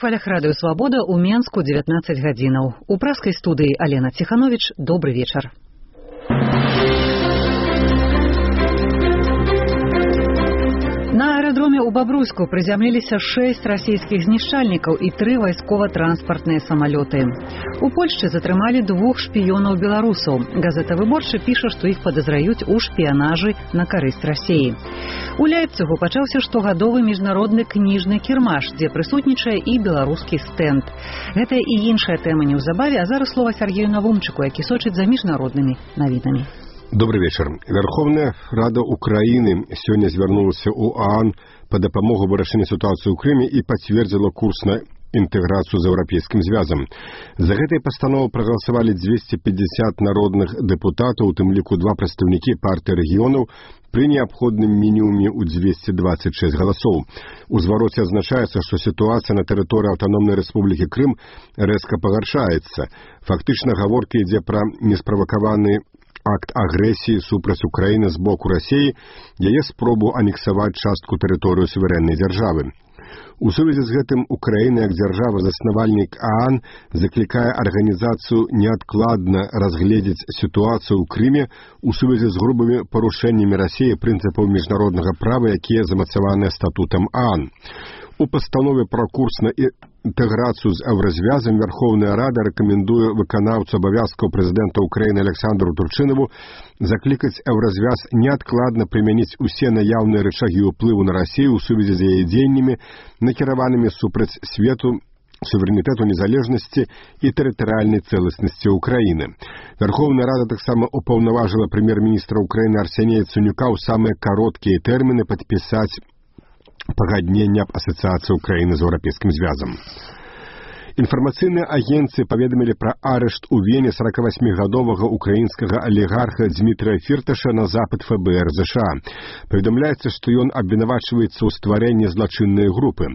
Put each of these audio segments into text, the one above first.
хвалях радыё «Свабода» ў Менску 19 гадзінаў. У праскай студыі Алена Ціхановіч. Добры вечар. На аэрадроме ў Бабруйску прызямліліся 6 расійскіх знішчальнікаў і 3 вайскова-транспартныя самалёты. У Польшчы затрымалі 2 шпіёнаў беларусаў. Газета «Выборчы» піша, што іх падазраюць у шпіянажы на карысць Расіі. У Ляйпцігу пачаўся штогадовы міжнародны кніжны кірмаш, дзе прысутнічае і беларускі стэнд. Гэта і іншая тэма неўзабаве, а зараз слова Сергею Навумчыку, які сочыць за міжнароднымі навінамі. Добрый вечер. Верховная Рада Украины сегодня звярнулася ў ОАН по дапамогу вырашэння ситуации ў Крыме и подтвердила курс на интеграцию с Европейским Звязом. За этой постановой проголосовали 250 народных депутатов, у тым ліку 2 представники партии регионов, при необходном минимуме у 226 голосов. У звороте означается, что ситуация на территории Автономной Республики Крым резко погоршается. Фактично, гаворка ідзе про неспровокованный акт агрэсіі супраць Украіны з боку Расіі, яе спробу анексаваць частку тэрыторыю суверэннай дзяржавы. У сувязі з гэтым Украіна, як дзяржава-заснавальнік ААН, заклікае арганізацыю неадкладна разгледзець сітуацыю ў Крыме у сувязі з грубымі парушэннямі Расіі прынцыпаў міжнароднага права, якія замацаваныя статутам ААН. У пастанове про курс на интеграцию с Еврозвязом Верховная Рада рекомендует выканаўцу абавязкаў президента Украины Александру Турчынову закликать Еврозвяз неадкладна применить усе наяўныя рычагі ўплыву на Россию у сувязі з яе дзеяннямі, накіраванымі супраць свету, суверенитету, незалежности и территориальной целостности Украины. Верховная Рада таксама упаўнаважыла премьер-министра Украины Арсенія Яценюка ў самыя кароткія тэрміны падпісаць пагаднення аб асацыяцыі Украіны з Еўрапейскім звязам. Інфармацыйныя агенцыі паведамілі пра арышт у Вене 48-гадовага украінскага алігарха Дмітрия Фірташа на запад ФБР США. Паведамляецца, што ён абвінавачваецца ў стварэнні злачыннай групы.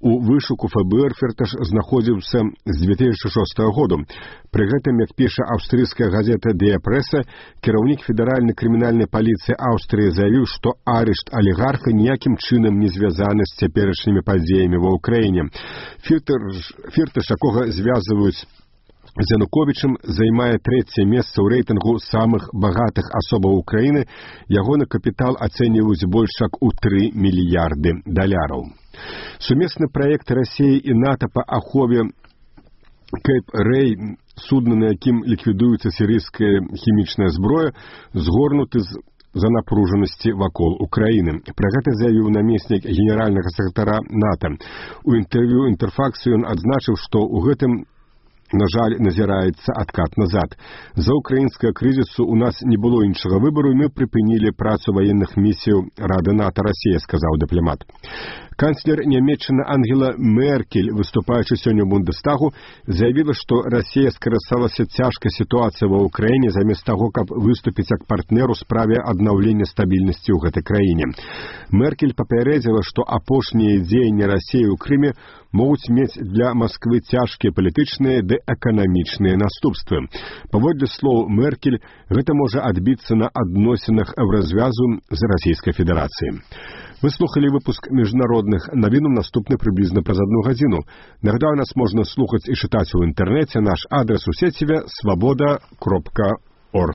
У вышуку ФБР Фірташ знаходзіўся з 2006 году. Пры гэтым, як піша аўстрыйская газета «Дия Пресса», кіраўнік федэральнай крымінальнай паліцыі Аўстрыі заявіў, што арышт алігарха ніякім чынам не звязаны з цяперашнімі падзеямі ва ўкраіне. Фірташ, якога звязваюць з Януковічам, займае 3-е месца ў рэйтынгу самых багатых асобаў Украіны. Ягоны капітал ацэньваюць больш як у $3 мільярды. Сумесны праект Расіі і НАТО па ахове Кейп-Рэй, судна, на якім ліквідуецца сірыйская хімічная зброя, згорнуты за напружанасці вакол Украіны. Пра гэта заявіў намеснік генеральнага сакратара НАТО. У інтэрв'ю «Інтэрфаксу» ён адзначыў, што ў гэтым, на жаль, назіраецца адкат назад. За украінскага крызісу у нас не было іншага выбару, і мы прыпынілі працу ваенных місіяў Рады НАТО Расія, сказаў дыпламат. Канцлер Нямецчыны Ангела Меркель, выступаючы сёння ў Бундестагу, заявіла, што Расія скарысталася цяжкай сітуацыяй ва ўкраіне замест таго, каб выступіць як партнер у справе аднаўлення стабільнасці ў гэтай краіне. Меркель папярэдзіла, што апошнія дзеянні Расіі ў Крыме могуць мець для Масквы цяжкія палітычныя ды эканамічныя наступствы. Паводле слоў Меркель, гэта можа адбіцца на адносінах Еўразвязу з Расійскай Федэрацыяй. Вы слухали выпуск міжнародных навінаў, наступны прыблізна праз 1 гадзіну. Нагадаю, нас можна слухаць і чытаць у інтэрнэце. Наш адрес у сеціве свабода.орг.